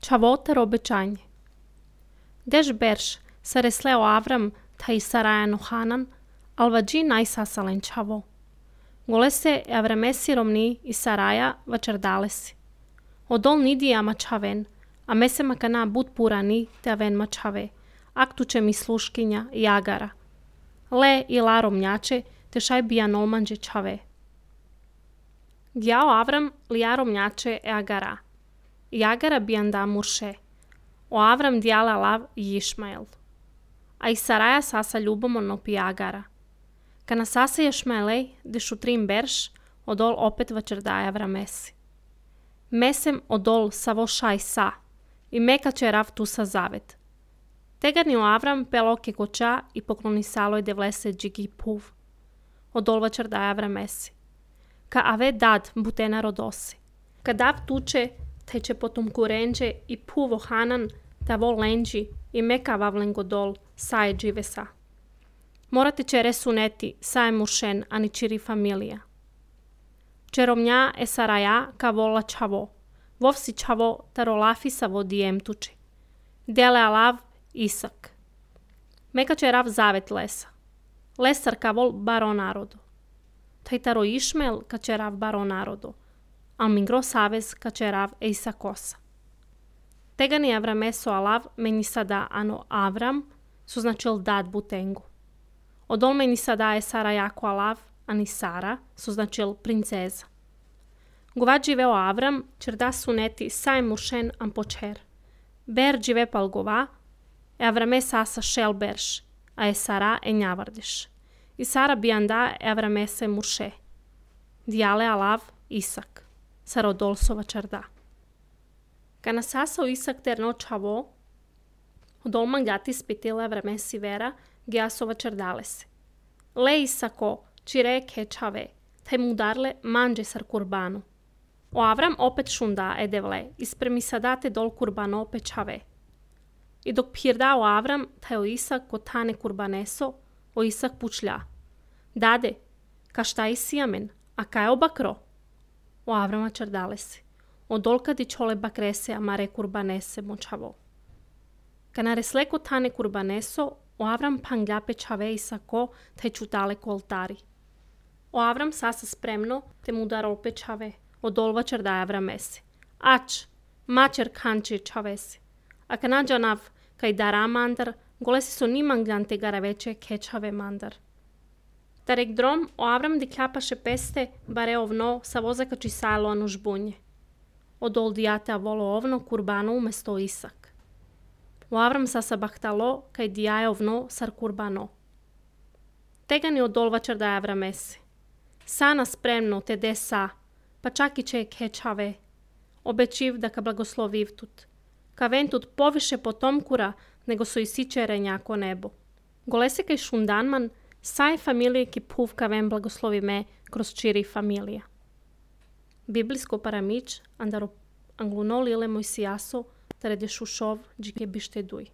Чавотар обичање. Деш берш се реслео Аврам та и Сарајано Ханан, алваджи најсасален чаво. Голесе Аврамеси ромни и Сараја вачердалеси. Одол ниди ама чавен, а месе макана бут пурани те авен мачаве, актуче ми слушкиња и агара. Ле и ла ромњаче те шај бијан олманџе чаве. Гјао Аврам лија ромњаче е агара. И агара бијан да мурше. O Avram dijala Lav i Išmael. A i Saraja sasa ljubomorno pi Agara. Kana sasa Išmaelej, dešu trim berš, odol opet vačerdaja Avramesi. Mesem odol savo šaj sa, i meka će rav tu sa zavet. Tegani o Avram peloke koča i pokloni saloj de vlese džigi puv. Odol vačerdaja Avramesi. Ka ave dad butena rodosi. Ka dav tuče, te će potom kurenđe i puvo Hanan, ta vol lenđi i meka vavlen godol, saje dživesa. Morate će resuneti, saje mušen, ani čiri familija. Čeromnja e Saraja ka vola čavo, vovsi čavo taro lafisa vodijem tuči. Dele alav Isak. Meka će rav zavet lesa. Lesar ka vol baro narodu. Taj taro Išmel ka će rav baro narodu. Al mingro savez ka će rav e Isakosa. Tegani Avrameso alav meni sada ano Avram su značil dad butengu. Odol meni sada je Sara jako alav, ani Sara su značil princeza. Govat živeo Avram, čerda suneti saj mušen am počer. Ber žive pal gova, e Avrame sasa šel berš, a e Sara e njavardiš. I Sara bijanda e Avrame se muše. Dijale alav Isak, Sarodolsova čerda. Kana sasao Isak terno čavo, odol mangati spitila Avramesi vera, Gjasova čerdalese. Le Isako, čire kečave, taj mudarle manđe sar kurbanu. O Avram opet šunda edevle, ispremi sadate dol kurbano pečave. I dok pirda o Avram, taj o Isak kotane kurbaneso, o Isak pučlja. Dade, ka šta i sijamen, a ka je obakro? O Avrama čerdalese. Odol kadi čole bakrese amare kurbanese močavo. Kana resle kotane kurbaneso, o Avram pangja pečave Isako te čutale koltari. O Avram sasa spremno te mudarol pečave, odolva čerdaja Avramesi. Ač, mačer kanči čavesi. A kana nav kaj dara mandar, golesi so ni manglante garaveče kečave mandar. Tarek drom o Avram dikjapaše peste bare ovno sa vozaka čisalo anu žbunje. Odol dijate avolo ovno kurbano umesto Isak. O Avram sasa bahtalo kaj dijaje ovno sar kurbano. Tegani odolva čerdaja Avramesi. Sana spremno te desa, pa čak i će kečave. Obečiv da ka blagosloviv tut. Ka ven tut poviše potomkura nego su i sičere njako nebo. Golese kaj šundanman, saj familije ki puv ka ven blagoslovi me kroz čiri familija. Biblijsko paramič, andaro anglunol ile moj sijaso, tare de šušov džike bište duj.